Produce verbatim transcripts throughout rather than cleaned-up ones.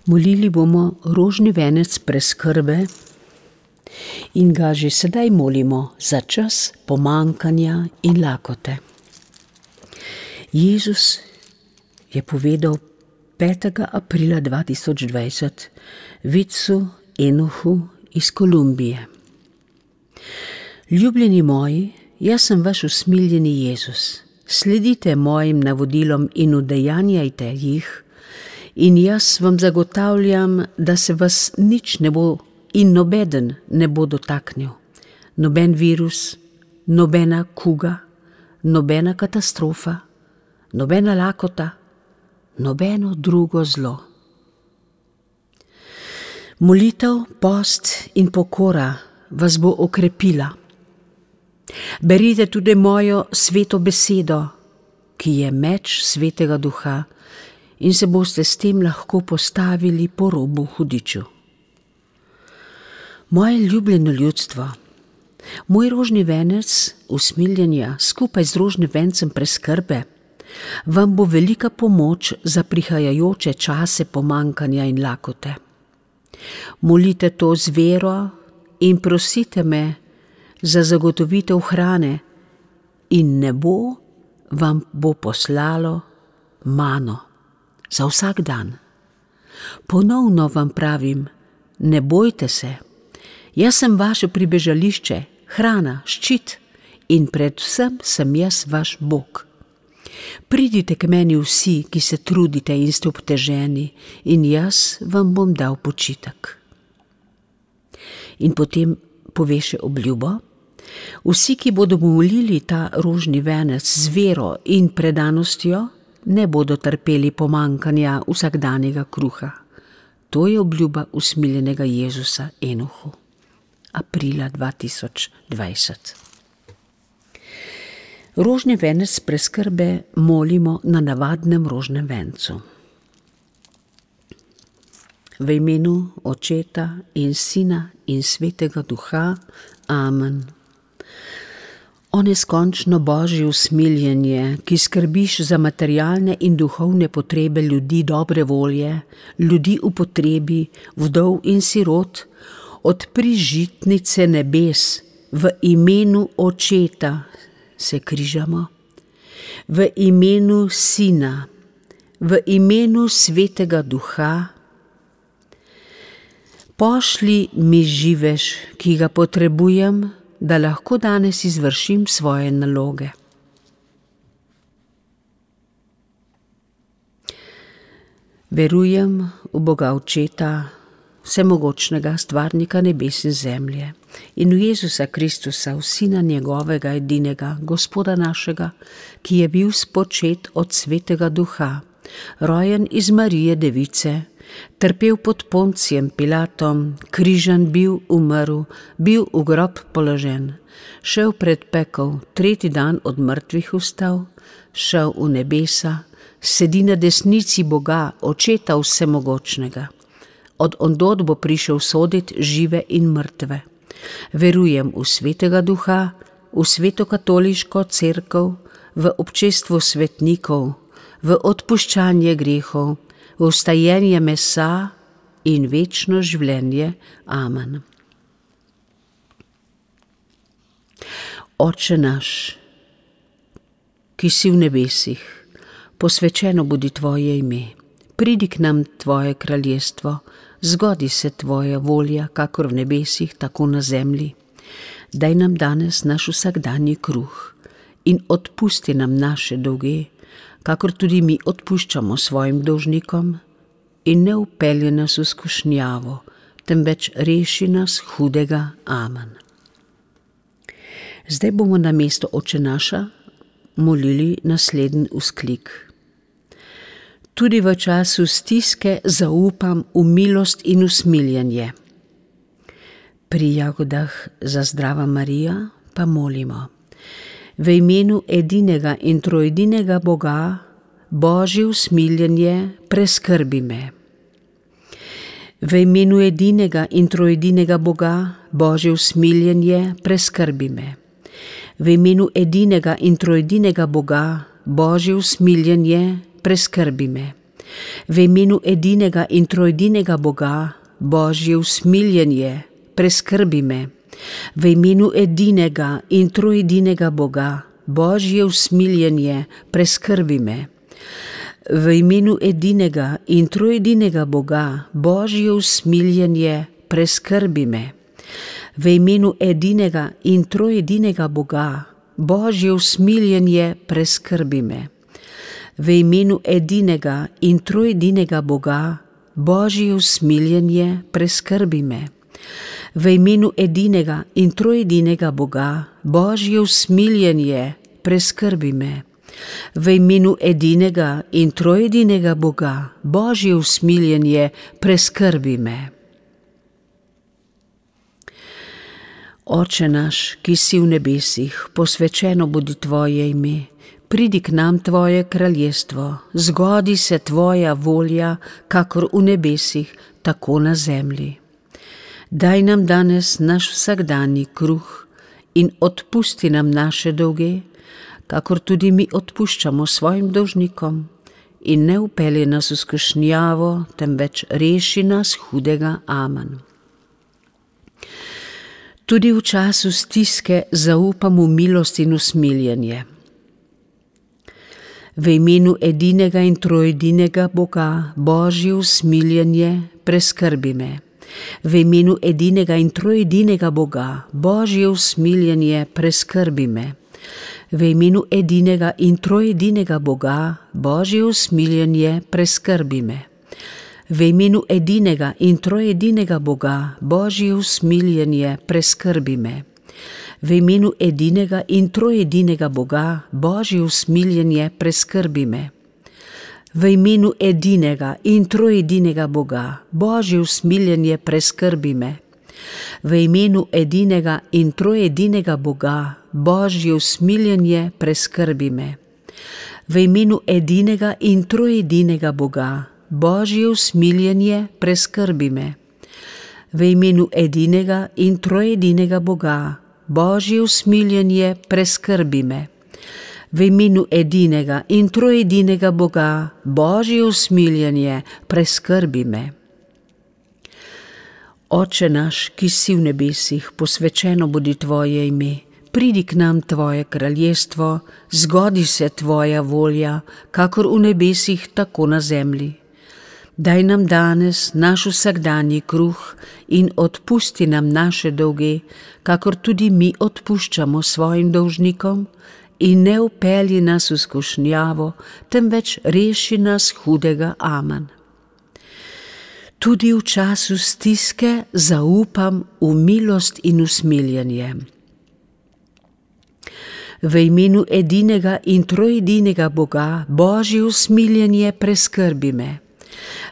Molili bomo rožni venec preskrbe in ga že sedaj molimo za čas pomanjkanja in lakote. Jezus je povedal petega aprila dva tisoč dvajset vidcu Enohu iz Kolumbije: Ljubljeni moji, jaz sem vaš usmiljeni Jezus. Sledite mojim navodilom in udejanjajte jih, in jaz vam zagotavljam, da se vas nič ne bo in nobeden ne bo dotaknil. Noben virus, nobena kuga, nobena katastrofa, nobena lakota, nobeno drugo zlo. Molitev, post in pokora vas bo okrepila. Berite tudi mojo sveto besedo, ki je meč svetega duha, in se boste s tem lahko postavili po robu hudiču. Moje ljubljeno ljudstvo, moj rožni venec usmiljenja skupaj z rožnim vencem preskrbe vam bo velika pomoč za prihajajoče čase pomanjkanja in lakote. Molite to z vero in prosite me za zagotovitev hrane, in nebo vam bo poslalo mano za vsak dan. Ponovno vam pravim, ne bojte se, jaz sem vaše pribežališče, hrana, ščit in predvsem sem jaz vaš Bog. Pridite k meni vsi, ki se trudite in ste obteženi, in jaz vam bom dal počitek. In potem pove še obljubo: vsi, ki bodo molili ta rožni venec z vero in predanostjo, ne bodo trpeli pomanjkanja vsakdanjega kruha. To je obljuba usmiljenega Jezusa Enohu. Aprila dva tisoč dvajset. Rožni venec preskrbe molimo na navadnem rožnem vencu. V imenu Očeta in Sina in Svetega Duha. Amen. O neskončno Božje usmiljenje, ki skrbiš za materialne in duhovne potrebe ljudi dobre volje, ljudi v potrebi, vdov in sirot, odpri žitnice nebes, v imenu Očeta se križamo, v imenu Sina, v imenu Svetega Duha. Pošli mi živež, ki ga potrebujem, da lahko danes izvršim svoje naloge. Verujem v Boga Očeta, vsemogočnega stvarnika nebes in zemlje, in v Jezusa Kristusa, v Sina njegovega edinega, Gospoda našega, ki je bil spočet od Svetega Duha, rojen iz Marije Device, trpel pod Poncijem Pilatom, križan bil, umrl, bil v grob položen, šel pred pekel, tretji dan od mrtvih vstal, šel v nebesa, sedi na desnici Boga, Očeta vsemogočnega. Od ondod bo prišel sodit žive in mrtve. Verujem v Svetega Duha, v sveto katoliško cerkev, v občestvo svetnikov, v odpuščanje grehov, v vstajenje mesa in večno življenje. Amen. Oče naš, ki si v nebesih, posvečeno bodi tvoje ime. Pridi k nam tvoje kraljestvo, zgodi se tvoja volja, kakor v nebesih, tako na zemlji. Daj nam danes naš vsakdanji kruh in odpusti nam naše dolge, kakor tudi mi odpuščamo svojim dolžnikom, in ne vpelje nas v skušnjavo, temveč reši nas hudega. Amen. Zdaj bomo namesto Oče naša molili naslednji vzklik. Tudi v času stiske zaupam v milost in usmiljenje. Pri jagodah za Zdrava Marija pa molimo: v imenu edinega in trojedinega Boga, Božje usmiljenje, preskrbi me. V imenu edinega in trojedinega Boga, Božje usmiljenje, preskrbi me. V imenu edinega in trojedinega Boga, Božje usmiljenje, preskrbi me. V imenu edinega in trojedinega Boga, Božje usmiljenje, preskrbi me. V imenu edinega in trojedinega Boga, Božje usmiljenje, preskrbi me. V imenu edinega in trojedinega Boga, Božje usmiljenje, preskrbi me. V imenu edinega in trojedinega Boga, Božje usmiljenje, preskrbi me. V imenu edinega in trojedinega Boga, Božje usmiljenje, preskrbi me. V imenu edinega in trojedinega Boga, Božje usmiljenje, preskrbi me. V imenu edinega in trojedinega Boga, Božje usmiljenje, preskrbi me. Oče naš, ki si v nebesih, posvečeno bodi tvoje ime. Pridi k nam tvoje kraljestvo, zgodi se tvoja volja, kakor v nebesih, tako na zemlji. Daj nam danes naš vsakdanji kruh in odpusti nam naše dolge, kakor tudi mi odpuščamo svojim dolžnikom, in ne vpelji nas v skušnjavo, temveč reši nas hudega. Amen. Tudi v času stiske zaupam v milost in usmiljenje. V imenu edinega in trojedinega Boga, Božje usmiljenje, preskrbi me. V imenu edinega in trojedinega Boga, Božje usmiljenje, preskrbi me. V imenu edinega in trojedinega Boga, Božje usmiljenje, preskrbi me. V imenu edinega in trojedinega Boga, Božje usmiljenje, preskrbi me. V imenu edinega in trojedinega Boga, Božje usmiljenje, preskrbi me. V imenu edinega in trojedinega Boga, Božje usmiljenje, preskrbi me. V imenu edinega in trojedinega Boga, Božje usmiljenje, preskrbi me. V imenu edinega in trojedinega Boga, Božje usmiljenje, preskrbi me. V imenu edinega in trojedinega Boga, Božje usmiljenje, preskrbi me. V imenu edinega in trojedinega Boga, Božje usmiljenje, preskrbi me. Oče naš, ki si v nebesih, posvečeno bodi tvoje ime. Pridi k nam tvoje kraljestvo, zgodi se tvoja volja, kakor v nebesih, tako na zemlji. Daj nam danes naš vsakdanji kruh in odpusti nam naše dolge, kakor tudi mi odpuščamo svojim dolžnikom, in ne vpelji nas v skušnjavo, temveč reši nas hudega. Amen. Tudi v času stiske zaupam v milost in usmiljenje. V imenu edinega in trojedinega Boga, Božje usmiljenje, preskrbi me.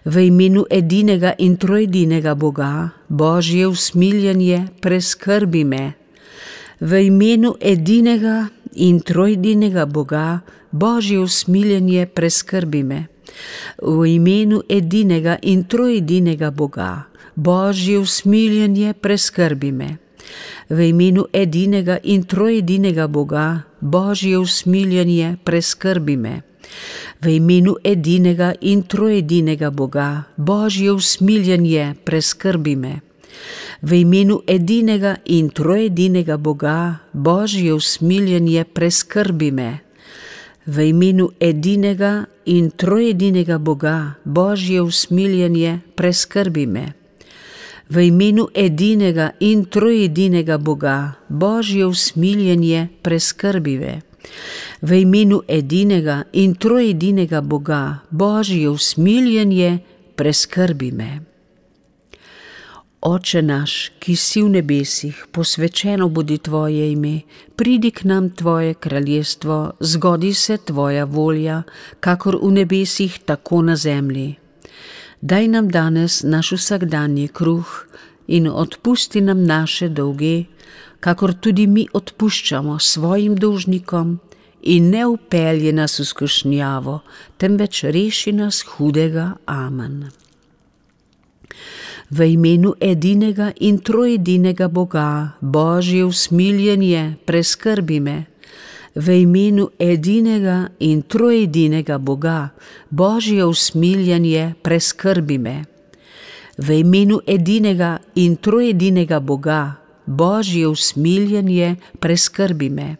V imenu edinega in trojedinega Boga, Božje usmiljenje, preskrbi me. V imenu edinega in trojedinega Boga, Božje usmiljenje, preskrbi me. V imenu edinega in trojedinega Boga, Božje usmiljenje, preskrbi me. V imenu edinega in trojedinega Boga, Božje usmiljenje, preskrbi me. V imenu edinega in trojedinega Boga, Božje usmiljenje, preskrbi me. V imenu edinega in trojedinega Boga, Božje usmiljenje, preskrbi me. V imenu edinega in trojedinega Boga, Božje usmiljenje, preskrbi me. V imenu edinega in trojedinega Boga, Božje usmiljenje, preskrbi me. V imenu edinega in trojedinega Boga, Božje usmiljenje, preskrbi me. Oče naš, ki si v nebesih, posvečeno bodi tvoje ime, pridi k nam tvoje kraljestvo, zgodi se tvoja volja, kakor v nebesih, tako na zemlji. Daj nam danes naš vsakdanji kruh in odpusti nam naše dolge, kakor tudi mi odpuščamo svojim dolžnikom, in ne vpelji nas v skušnjavo, temveč reši nas hudega. Amen. V imenu edinega in trojedinega Boga, Božje usmiljenje, preskrbi me. v imenu edinega in trojedinega Boga, Božje usmiljenje, preskrbi me. V imenu edinega in trojedinega Boga, Božje usmiljenje, preskrbi me.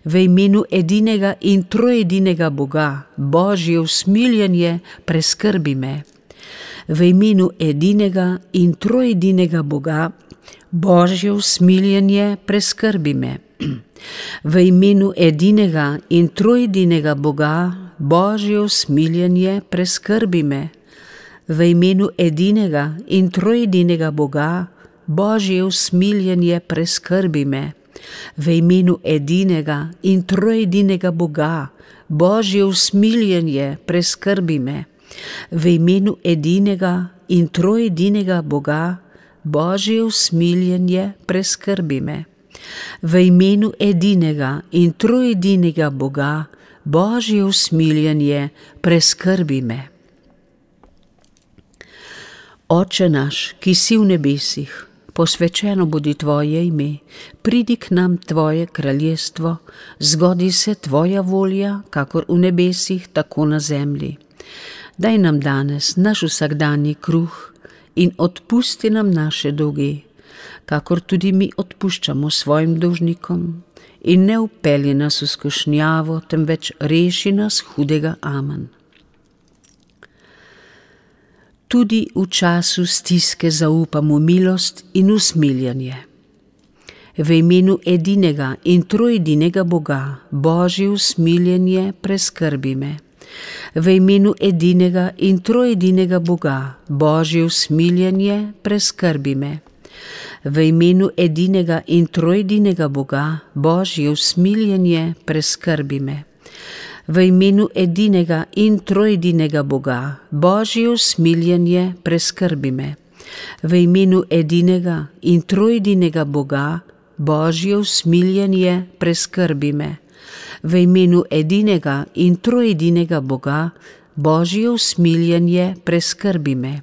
V imenu edinega in trojedinega Boga, Božje usmiljenje, preskrbi me. V imenu edinega in trojedinega Boga, Božje usmiljenje, preskrbi me. V imenu edinega in trojedinega Boga, Božje usmiljenje, preskrbi me. V imenu edinega in trojedinega Boga, Božje usmiljenje, preskrbi me. V imenu edinega in trojedinega Boga, Božje usmiljenje, preskrbi me. V imenu edinega in trojedinega Boga, Božje usmiljenje, preskrbi me. V imenu edinega in trojedinega Boga, Božje usmiljenje, preskrbi me. Oče naš, ki si v nebesih, posvečeno bodi tvoje ime, pridi k nam tvoje kraljestvo, zgodi se tvoja volja, kakor v nebesih, tako na zemlji. Daj nam danes naš vsakdanji kruh in odpusti nam naše dolge, kakor tudi mi odpuščamo svojim dolžnikom, in ne vpelji nas v skušnjavo, temveč reši nas hudega. Amen. Tudi v času stiske zaupam v milost in usmiljenje. V imenu edinega in trojedinega Boga, Božje usmiljenje, preskrbi me. V imenu edinega in trojedinega Boga, Božje usmiljenje, preskrbi me. V imenu edinega in trojedinega Boga, Božje usmiljenje, preskrbi me. V imenu edinega in trojedinega Boga, Božje usmiljenje, preskrbi me. V imenu edinega in trojedinega Boga, Božje usmiljenje, preskrbi me. V imenu edinega in trojedinega Boga, Božje usmiljenje, preskrbi me.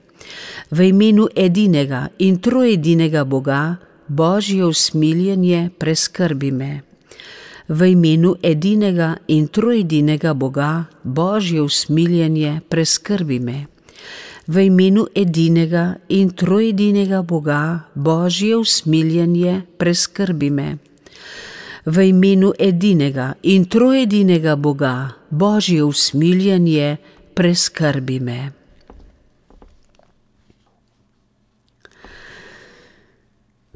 V imenu edinega in trojedinega Boga, Božje usmiljenje, preskrbi me. V imenu edinega in trojedinega Boga, Božje usmiljenje, preskrbi me. V imenu edinega in trojedinega Boga, Božje usmiljenje, preskrbi me. V imenu edinega in trojedinega Boga, Božje usmiljenje, preskrbi me.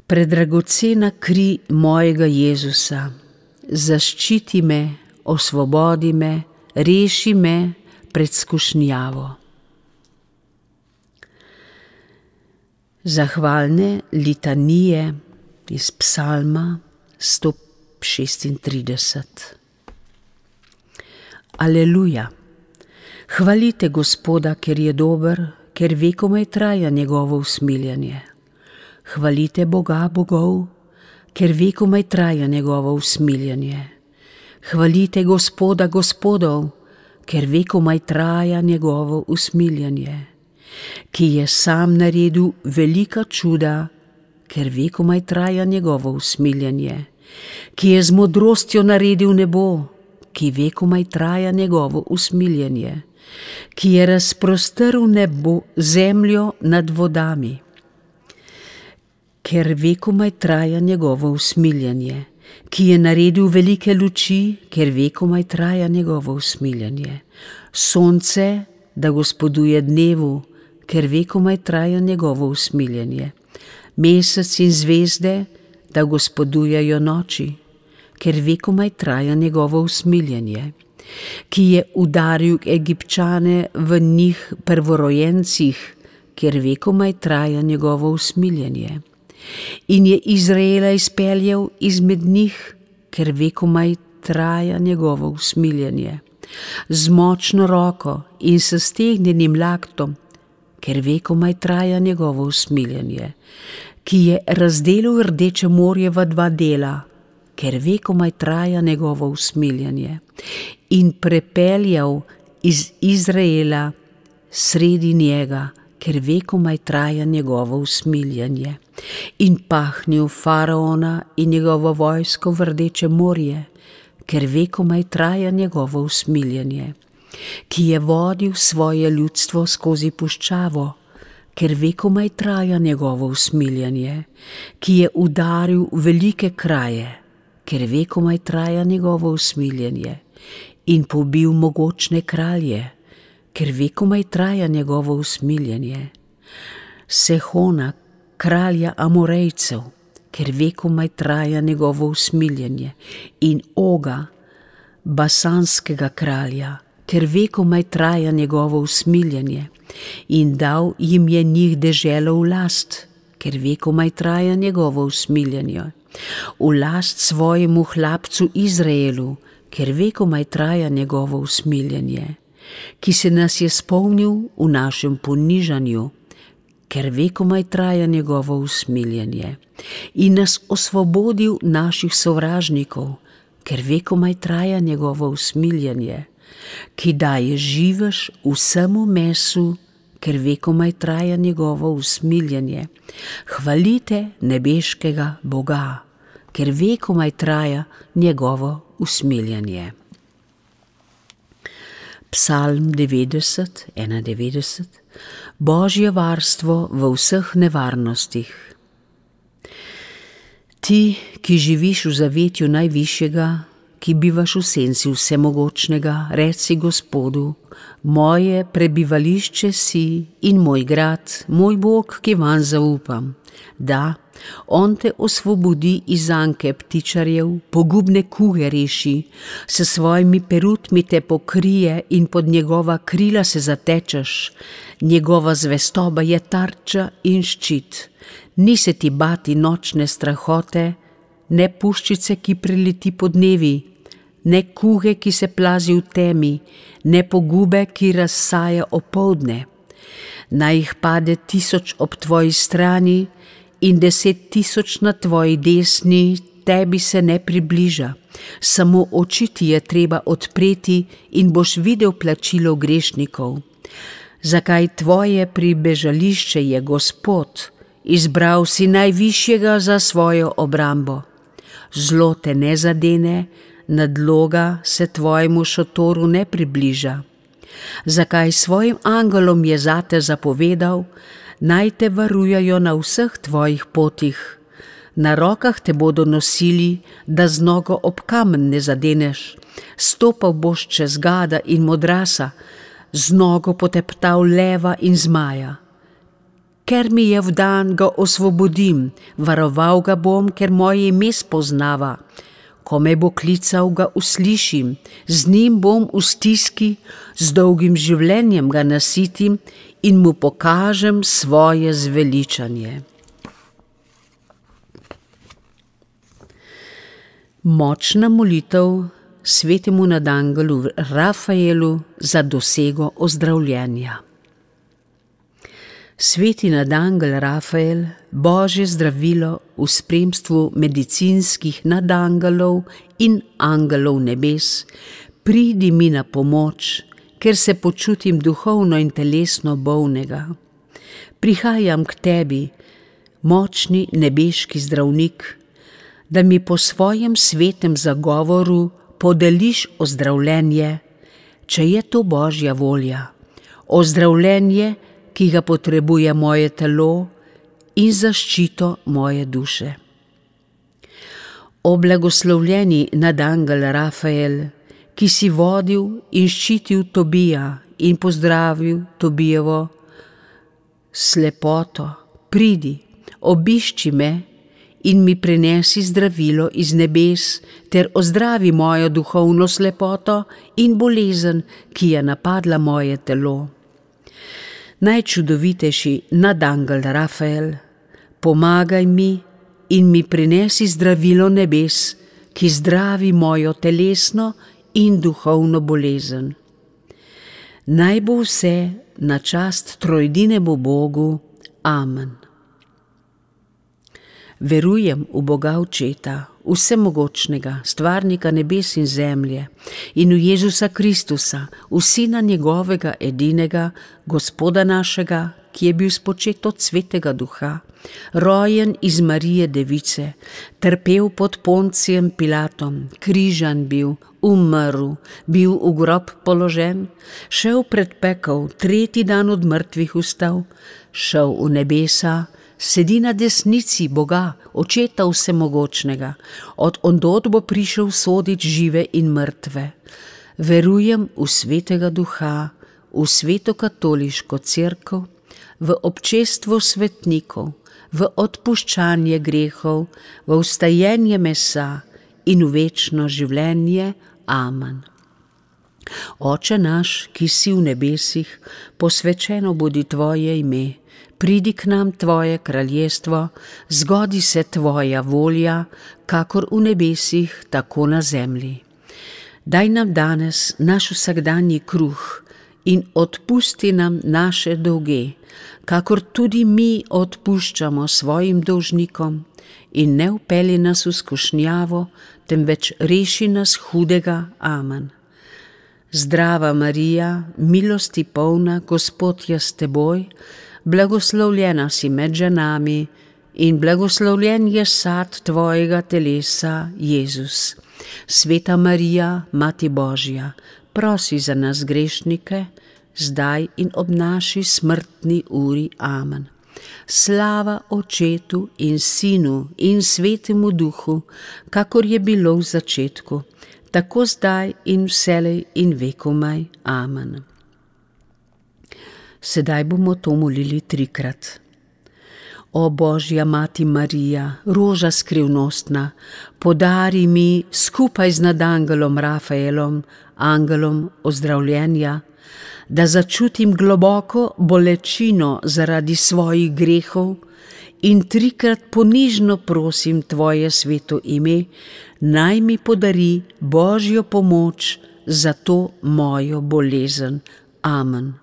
Predragocena kri mojega Jezusa, zaščiti me, osvobodi me, reši me pred skušnjavo. Zahvalne litanije iz Psalma sto šestintrideset. Aleluja! Hvalite Gospoda, ker je dober, ker vekomaj traja njegovo usmiljenje. Hvalite Boga bogov, ker vekomaj traja njegovo usmiljenje. Hvalite Gospoda gospodov, ker vekomaj traja njegovo usmiljenje. Ki je sam naredil velika čuda, ker vekomaj traja njegovo usmiljenje. Ki je z modrostjo naredil nebo, ki vekomaj traja njegovo usmiljenje. Ki je razprostrl nebo, zemljo nad vodami, ker vekomaj traja njegovo usmiljenje. Ki je naredil velike luči, ker vekomaj traja njegovo usmiljenje. Sonce, da gospoduje dnevu, ker vekomaj traja njegovo usmiljenje. Mesec in zvezde, da gospodujejo noči, ker vekomaj traja njegovo usmiljenje. Ki je udaril Egipčane v njih prvorojencih, ker vekomaj traja njegovo usmiljenje. In je Izraela izpeljal izmed njih, ker vekomaj traja njegovo usmiljenje. Z močno roko in s stegnjenim laktom, ker vekomaj traja njegovo usmiljenje. Ki je razdelil Rdeče morje v dva dela, ker vekomaj traja njegovo usmiljenje. In prepeljal iz Izraela sredi njega, ker vekomaj traja njegovo usmiljenje. In pahnil faraona in njegovo vojsko v Rdeče morje, ker vekomaj traja njegovo usmiljenje, ki je vodil svoje ljudstvo skozi puščavo, ker vekomaj traja njegovo usmiljenje, ki je udaril velike kraje, ker vekomaj traja njegovo usmiljenje, in pobil mogočne kralje, ker vekomaj traja njegovo usmiljenje, Sehona, kralja Amorejcev, ker vekomaj traja njegovo usmiljenje, in Oga, basanskega kralja, ker vekomaj traja njegovo usmiljenje, in dal jim je njih deželo v last, ker vekomaj traja njegovo usmiljenje, v last svojemu hlapcu Izraelu, ker vekomaj traja njegovo usmiljenje, ki se nas je spomnil v našem ponižanju, ker vekomaj traja njegovo usmiljenje, in nas osvobodil naših sovražnikov, ker vekomaj traja njegovo usmiljenje, ki daje živež vsemu mesu, ker vekomaj traja njegovo usmiljenje. Hvalite nebeškega Boga, ker vekomaj traja njegovo usmiljenje. Psalm devetdeset, enaindevetdeset. Božje varstvo v vseh nevarnostih. Ti, ki živiš v zavetju najvišjega, ki bivaš v senci vsemogočnega, reci Gospodu, moje prebivališče si in moj grad, moj Bog, ki vanj zaupam. Da, on te osvobodi iz zanke ptičarjev, pogubne kuge reši, s svojimi perutmi te pokrije in pod njegova krila se zatečeš. Njegova zvestoba je tarča in ščit. Ni se ti bati nočne strahote, ne puščice, ki preleti podnevi, ne kuge, ki se plazi v temi, ne pogube, ki razsaja opoldne. Naj jih pade tisoč ob tvoji strani in deset tisoč na tvoji desni, tebi se ne približa. Samo oči ti je treba odpreti in boš videl plačilo grešnikov. Zakaj tvoje pribežališče je Gospod, izbral si najvišjega za svojo obrambo. Zlo te ne zadene, nadloga se tvojemu šotoru ne približa. Zakaj svojim angelom je zate zapovedal, naj te varujajo na vseh tvojih potih. Na rokah te bodo nosili, da z nogo ob kamen ne zadeneš. Stopal boš čez gada in modrasa, z nogo poteptal leva in zmaja. Ker mi je vdan, ga osvobodim, varoval ga bom, ker moje ime spoznava. Ko me bo klical, ga uslišim, z njim bom v stiski, z dolgim življenjem ga nasitim in mu pokažem svoje zveličanje. Močna molitev svetemu nadangelu Rafaelu za dosego ozdravljenja. Sveti nadangel Rafael, Božje zdravilo v spremstvu medicinskih nadangelov in angelov nebes, pridi mi na pomoč, ker se počutim duhovno in telesno bolnega. Prihajam k tebi, močni nebeški zdravnik, da mi po svojem svetem zagovoru podeliš ozdravljenje, če je to Božja volja, ozdravljenje, ki ga potrebuje moje telo in zaščito moje duše. O blagoslovljeni nadangel Rafael, ki si vodil in ščitil Tobija in pozdravil Tobijevo slepoto, pridi, obišči me in mi prinesi zdravilo iz nebes ter ozdravi mojo duhovno slepoto in bolezen, ki je napadla moje telo. Najčudovitejši nadangel Rafael, pomagaj mi in mi prinesi zdravilo nebes, ki zdravi mojo telesno in duhovno bolezen. Naj bo vse na čast trojedinemu Bogu. Amen. Verujem v Boga Očeta, vsemogočnega, stvarnika nebes in zemlje, in v Jezusa Kristusa, v Sina njegovega edinega, Gospoda našega, ki je bil spočet od Svetega Duha, rojen iz Marije Device, trpel pod Poncijem Pilatom, križan bil, umrl, bil v grob položen, šel pred pekel, tretji dan od mrtvih vstal, šel v nebesa, sedi na desnici Boga, Očeta Vsemogočnega, od ondod bo prišel sodit žive in mrtve. Verujem v Svetega Duha, v Sveto katoliško cerkev, v občestvo svetnikov, v odpuščanje grehov, v vstajenje mesa in v večno življenje. Amen. Oče naš, ki si v nebesih, posvečeno bodi tvoje ime, pridi k nam tvoje kraljestvo, zgodi se tvoja volja, kakor v nebesih, tako na zemlji. Daj nam danes naš vsakdanji kruh in odpusti nam naše dolge, kakor tudi mi odpuščamo svojim dolžnikom, in ne vpelji nas v skušnjavo, temveč reši nas hudega. Amen. Zdrava Marija, milosti polna, Gospod je s teboj, blagoslovljena si med ženami in blagoslovljen je sad tvojega telesa, Jezus. Sveta Marija, Mati Božja, prosi za nas grešnike, zdaj in ob naši smrtni uri. Amen. Slava Očetu in Sinu in Svetemu Duhu, kakor je bilo v začetku, tako zdaj in vselej in vekomaj. Amen. Sedaj bomo to molili trikrat. O Božja Mati Marija, roža skrivnostna, podari mi skupaj z nadangelom Rafaelom, angelom ozdravljenja, da začutim globoko bolečino zaradi svojih grehov in trikrat ponižno prosim tvoje sveto ime, naj mi podari Božjo pomoč za to mojo bolezen. Amen.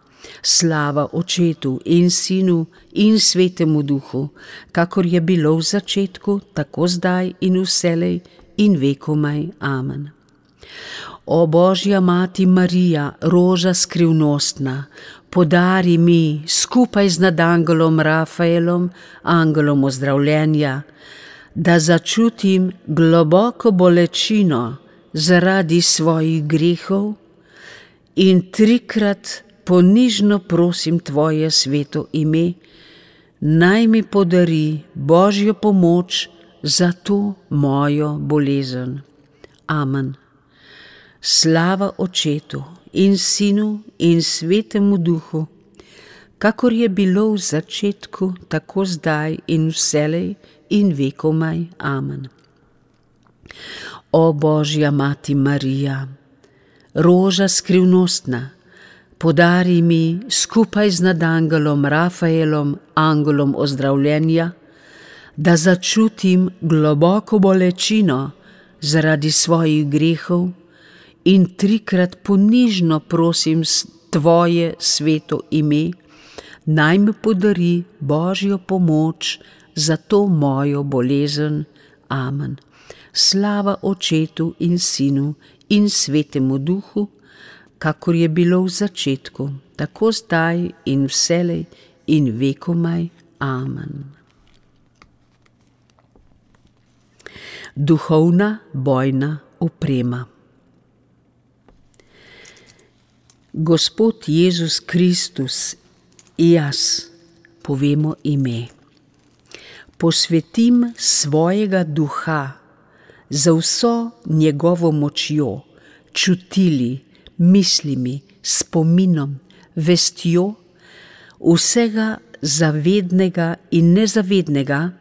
Slava Očetu in Sinu in Svetemu Duhu, kakor je bilo v začetku, tako zdaj in vselej in vekomaj. Amen. O Božja Mati Marija, roža skrivnostna, podari mi skupaj z nadangelom Rafaelom, angelom ozdravljenja, da začutim globoko bolečino zaradi svojih grehov in trikrat ponižno prosim tvoje sveto ime, naj mi podari Božjo pomoč za to mojo bolezen. Amen. Slava Očetu in Sinu in Svetemu Duhu, kakor je bilo v začetku, tako zdaj in vselej in vekomaj. Amen. O Božja Mati Marija, roža skrivnostna, podari mi skupaj z nadangelom Rafaelom, angelom ozdravljenja, da začutim globoko bolečino zaradi svojih grehov in trikrat ponižno prosim tvoje sveto ime, naj mi podari Božjo pomoč za to mojo bolezen. Amen. Slava Očetu in Sinu in Svetemu Duhu, kakor je bilo v začetku, tako zdaj in vselej in vekomaj. Amen. Duhovna bojna oprema. Gospod Jezus Kristus, jaz, povemo ime, posvetim svojega duha za vso njegovo močjo, čutili, mislimi, spominom, vestjo, vsega zavednega in nezavednega,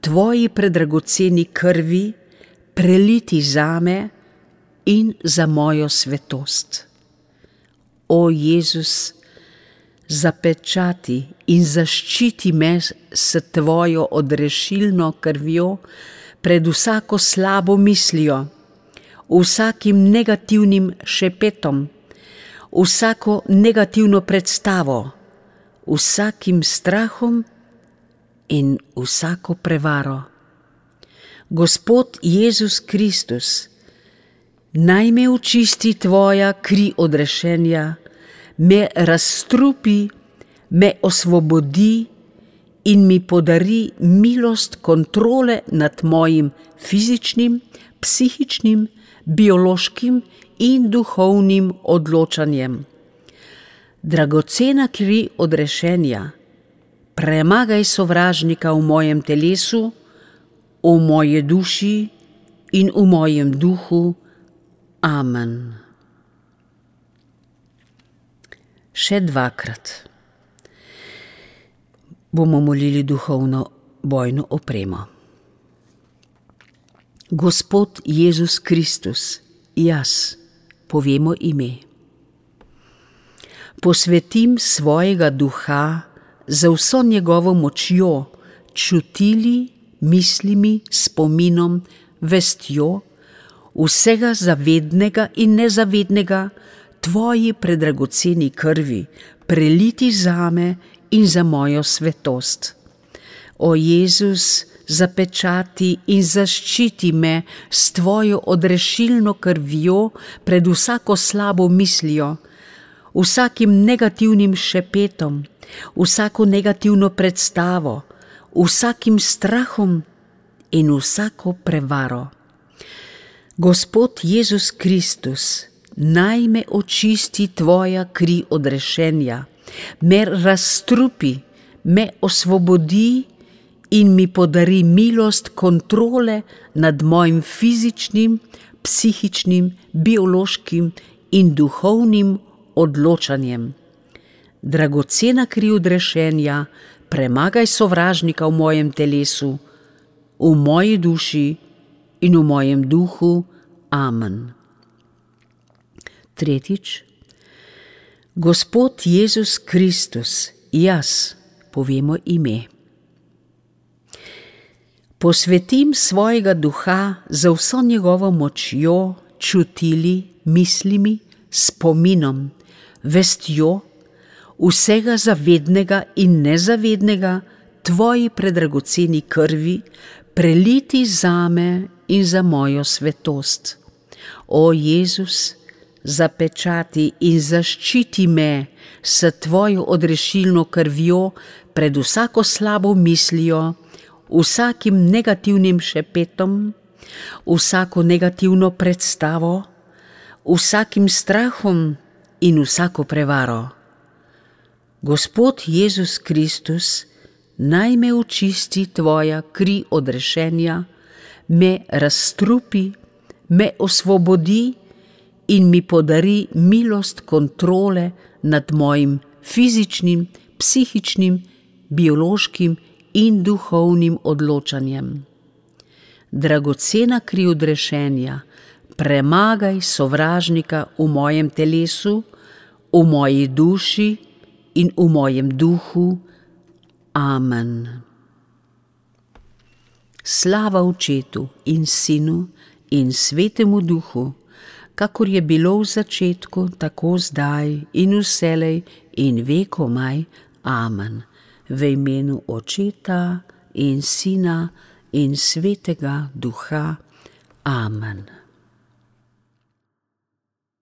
tvoji predragoceni krvi, preliti zame in za mojo svetost. O Jezus, zapečati in zaščiti me s tvojo odrešilno krvjo pred vsako slabo mislijo, vsakim negativnim šepetom, vsako negativno predstavo, vsakim strahom in vsako prevaro. Gospod Jezus Kristus, naj me očisti tvoja kri odrešenja, me razstrupi, me osvobodi in mi podari milost kontrole nad mojim fizičnim, psihičnim, biološkim in duhovnim odločanjem. Dragocena kri odrešenja, premagaj sovražnika v mojem telesu, v moji duši in v mojem duhu. Amen. Še dvakrat bomo molili duhovno bojno opremo. Gospod Jezus Kristus, jaz, povemo ime. Posvetim svojega duha za vso njegovo močjo, čutili, mislimi, spominom, vestjo, vsega zavednega in nezavednega, tvoji predragoceni krvi, preliti zame in za mojo svetost. O Jezus, zapečati in zaščiti me s tvojo odrešilno krvjo pred vsako slabo mislijo, vsakim negativnim šepetom, vsako negativno predstavo, vsakim strahom in vsako prevaro. Gospod Jezus Kristus, naj me očisti tvoja kri odrešenja, me razstrupi, me osvobodi in mi podari milost kontrole nad mojim fizičnim, psihičnim, biološkim in duhovnim odločanjem. Dragocena kri odrešenja, premagaj sovražnika v mojem telesu, v moji duši in v mojem duhu. Amen. Tretjič. Gospod Jezus Kristus, jaz, povemo ime. Posvetim svojega duha za vso njegovo močjo, čutili, mislimi, spominom, vestjo, vsega zavednega in nezavednega, tvoji predragoceni krvi, preliti zame in za mojo svetost. O Jezus, zapečati in zaščiti me s tvojo odrešilno krvjo pred vsako slabo mislijo, vsakim negativnim šepetom, vsako negativno predstavo, vsakim strahom in vsako prevaro. Gospod Jezus Kristus, naj me očisti tvoja kri odrešenja, me razstrupi, me osvobodi in mi podari milost kontrole nad mojim fizičnim, psihičnim, biološkim in duhovnim odločanjem. Dragocena kri odrešenja, premagaj sovražnika v mojem telesu, v moji duši in v mojem duhu. Amen. Slava Očetu in Sinu in Svetemu Duhu, kakor je bilo v začetku, tako zdaj in vselej in vekomaj. Amen. V imenu Očeta in Sina in Svetega Duha. Amen.